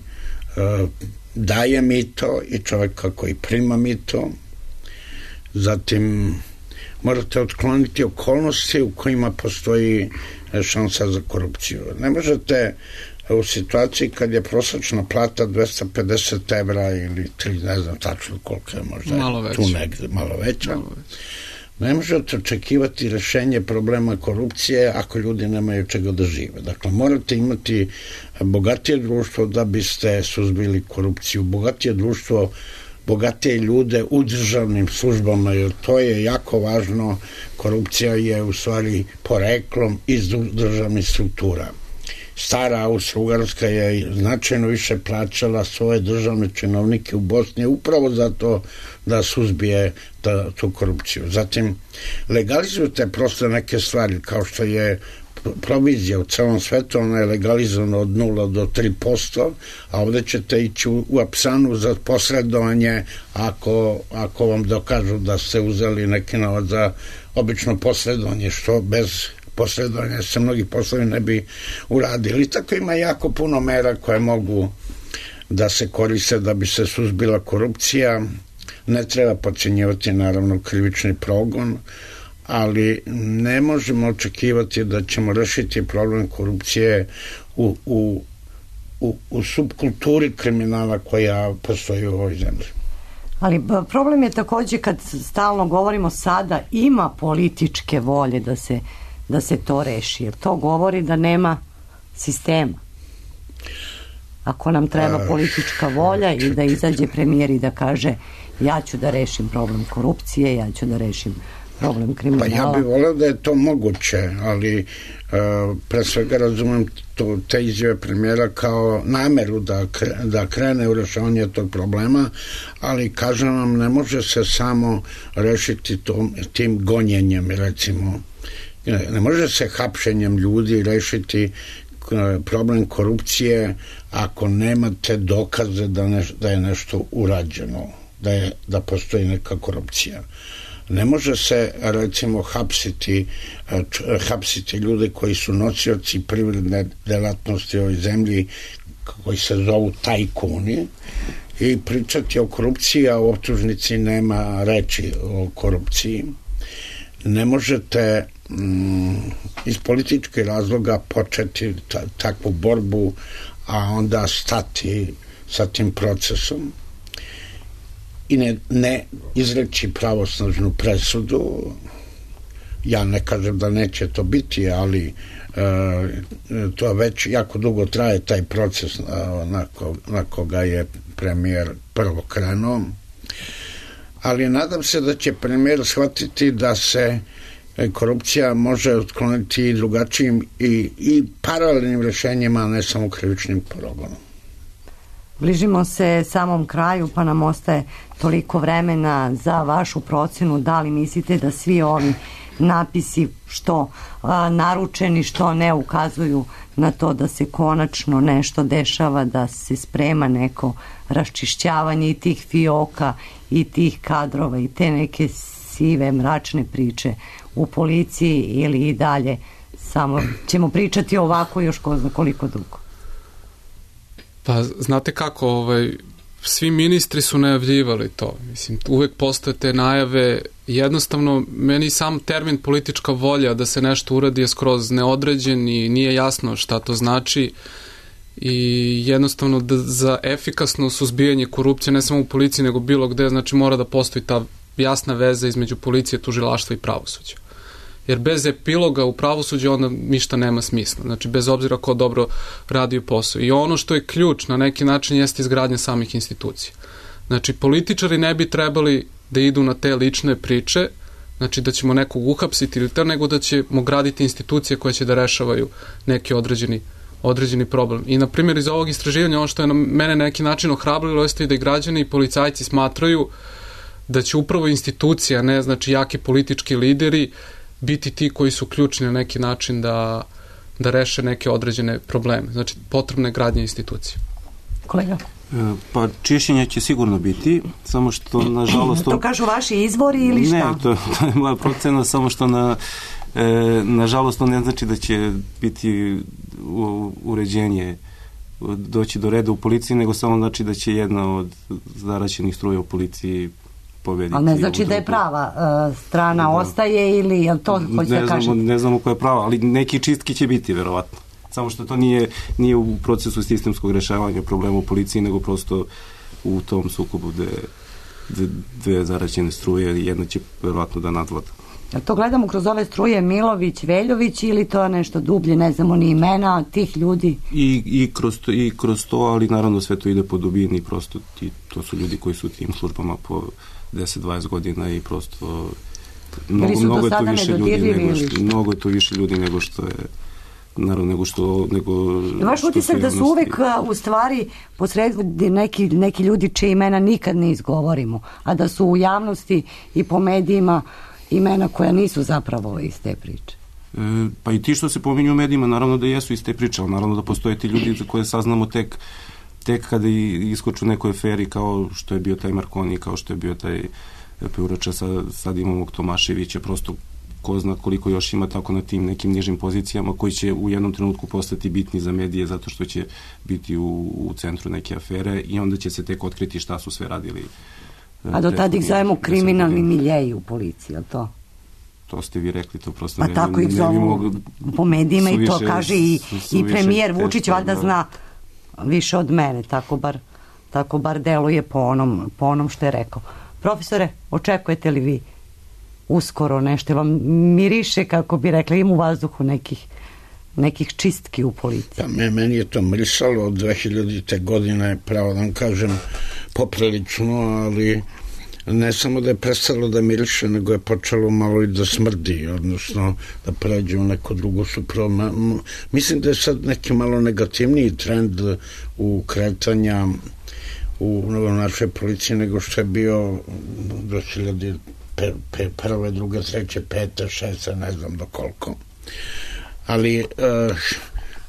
daje mito i čoveka koji prima mito. Zatim morate otkloniti okolnosti u kojima postoji šansa za korupciju. Ne možete u situaciji kad je prosječna plata dvesta pedeset evra ili tri, ne znam tačno koliko je možda malo tu negde, malo veća. Malo veća. Ne možete očekivati rešenje problema korupcije ako ljudi nemaju čega da žive. Dakle, morate imati bogatije društvo da biste suzbili korupciju. Bogatije društvo, bogatije ljude u državnim službama, jer to je jako važno. Korupcija je u stvari poreklom iz državnih struktura. Stara Austro-Ugarska je značajno više plaćala svoje državne činovnike u Bosni upravo zato da suzbije ta, tu korupciju. Zatim, legalizujete prosto neke stvari, kao što je provizija u celom svetu, ona je legalizovana od nula do tri posto, a ovde ćete ići u, u apsanu za posredovanje ako, ako vam dokažu da ste uzeli neki novac za obično posredovanje, što bez posredovanja se mnogi poslovi ne bi uradili. Tako ima jako puno mera koje mogu da se koriste da bi se suzbila korupcija. Ne treba podcenjivati naravno krivični progon, ali ne možemo očekivati da ćemo rešiti problem korupcije u, u, u, u subkulturi kriminala koja postoji u ovoj zemlji. Ali problem je takođe kad stalno govorimo sada ima političke volje da se da se to reši, jer to govori da nema sistema. Ako nam treba politička volja i da izađe premijer i da kaže ja ću da rešim problem korupcije, ja ću da rešim problem kriminala. Pa ja bih voleo da je to moguće, ali uh, pre svega razumem to, te izjave premijera kao nameru da, da krene u rešavanje tog problema, ali kažem vam, ne može se samo rešiti tom, tim gonjenjem, recimo. Ne može se hapšenjem ljudi rešiti problem korupcije ako nemate dokaze da, ne, da je nešto urađeno, da, je, da postoji neka korupcija. Ne može se recimo hapsiti, hapsiti ljude koji su nosioci privredne delatnosti u ovoj zemlji koji se zovu tajkuni i pričati o korupciji, a u optužnici nema reči o korupciji. Ne možete mm, iz političkih razloga početi ta, takvu borbu, a onda stati sa tim procesom i ne, ne izreći pravosnažnu presudu, ja ne kažem da neće to biti, ali to već jako dugo traje taj proces na, ko, na koga je premijer prvo krenuo, ali nadam se da će premijer shvatiti da se korupcija može otkloniti i drugačijim i, i paralelnim rešenjima, a ne samo krivičnim progonom. Bližimo se samom kraju, pa nam ostaje toliko vremena za vašu procenu. Da li mislite da svi ovi napisi, što a, naručeni, što ne, ukazuju na to da se konačno nešto dešava, da se sprema neko raščišćavanje i tih fioka i tih kadrova i te neke sive, mračne priče u policiji, ili i dalje samo ćemo pričati ovako još ko zna koliko dugo? Pa znate kako, ovaj, svi ministri su najavljivali to. Mislim, uvek postoje te najave. Jednostavno, meni sam termin politička volja da se nešto uradi je skroz neodređen i nije jasno šta to znači. I jednostavno da za efikasno suzbijanje korupcije, ne samo u policiji nego bilo gde, znači mora da postoji ta jasna veza između policije, tužilaštva i pravosuđa. Jer bez epiloga u pravosuđu onda ništa nema smisla. Znači, bez obzira ko dobro radi posao. I ono što je ključ na neki način jeste izgradnja samih institucija. Znači, političari ne bi trebali da idu na te lične priče, znači da ćemo nekog uhapsiti ili to, nego da ćemo graditi institucije koje će da rešavaju neki određeni, određeni problem. I, na primjer, iz ovog istraživanja, ono što je na mene neki način ohrabrilo, jeste i da i građani i policajci smatraju da će upravo institucija, ne znači jaki politički lideri, biti ti koji su ključni na neki način da, da reše neke određene probleme. Znači, potrebne gradnje institucije. Kolega? Pa čišćenje će sigurno biti, samo što nažalost... To, to kažu vaši izvori ili šta? Ne, to, to je moja procena, samo što na, e, nažalost to ne znači da će biti u, uređenje doći do reda u policiji, nego samo znači da će jedna od zaraćenih struja u policiji pobediti. Ali ne znači da je prava uh, strana da. Ostaje ili je to hoće da kažete? Ne znamo koja je prava, ali neki čistki će biti verovatno. Samo što to nije, nije u procesu sistemskog rešavanja problema u policiji, nego prosto u tom sukobu gde, gde, dve zaraćene struje, jedna će verovatno da nadvlada. A to gledamo kroz ove struje Milović, Veljović ili to nešto dublje, ne znamo ni imena tih ljudi? I, i, kroz, to, i kroz to, ali naravno sve to ide po dubini, prosto ti, to su ljudi koji su u tim službama po deset dvadeset godina i prosto mnogo, mnogo je to više ljudi nego što, mnogo je to više ljudi nego što je naravno nego što nego vaš utisak da su uvek u stvari posredi neki, neki ljudi čije imena nikad ne izgovorimo, a da su u javnosti i po medijima imena koja nisu zapravo iz te priče. E, pa i ti što se pominju u medijima, naravno da jesu iz te priče, ali naravno da postoje ti ljudi za koje saznamo tek tek kada iskoču nekoj aferi kao što je bio taj Marconi, kao što je bio taj Peurača, sad, sad imamo Tomaševića, prosto ko zna koliko još ima tako na tim nekim nižim pozicijama koji će u jednom trenutku postati bitni za medije zato što će biti u, u centru neke afere i onda će se tek otkriti šta su sve radili. A do tada ih zovemo kriminalni miljeji u policiji, je to? To ste vi rekli, to prosto pa ne, tako ih zovu po medijima i to kaže i, i premijer Vučić teško, valjda da. Zna više od mene, tako bar, tako bar deluje po onom, po onom što je rekao. Profesore, očekujete li vi uskoro nešto, vam miriše, kako bi rekli, im u vazduhu nekih, nekih čistki u policiji? Pa meni je to mirisalo od dve hiljadite godine, pravo da vam kažem, poprilično, ali ne samo da je prestalo da miriše, nego je počelo malo i da smrdi, odnosno da pređe u neku drugu suprotno. Mislim da je sad neki malo negativniji trend u kretanja u našoj policiji nego što je bio dve hiljade prve, druge, treće, pete, šeste, ne znam do koliko. Ali uh,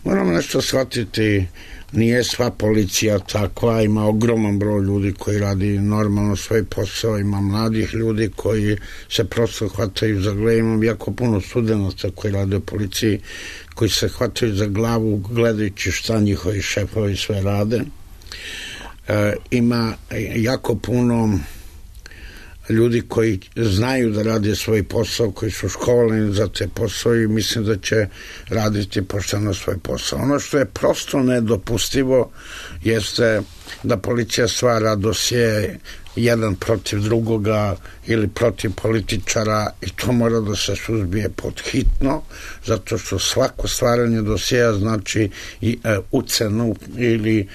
moramo nešto shvatiti, nije sva policija takva, ima ogroman broj ljudi koji radi normalno svoj posao, ima mladih ljudi koji se prosto hvataju za glavu, imam jako puno studenata koji rade u policiji, koji se hvataju za glavu gledajući šta njihovi šefovi sve rade. E, ima jako puno ljudi koji znaju da rade svoj posao, koji su školovani za te posao i mislim da će raditi pošteno svoj posao. Ono što je prosto nedopustivo jeste da policija stvara dosije jedan protiv drugoga ili protiv političara, i to mora da se suzbije pod hitno, zato što svako stvaranje dosjeja znači i e, ucenu ili e,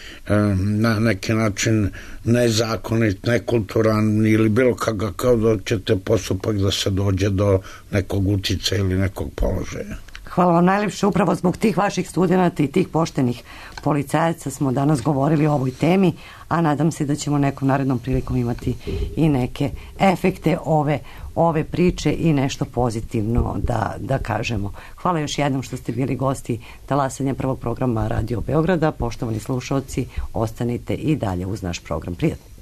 na neki način nezakonit, nekulturan ili bilo kako, kao da ćete postupak da se dođe do nekog uticaja ili nekog položaja. Hvala vam najljepše, upravo zbog tih vaših studenata i tih poštenih policajaca smo danas govorili o ovoj temi, a nadam se da ćemo nekom narednom prilikom imati i neke efekte ove, ove priče i nešto pozitivno da, da kažemo. Hvala još jednom što ste bili gosti talasanja prvog programa Radio Beograda. Poštovani slušalci, ostanite i dalje uz naš program. Prijatno.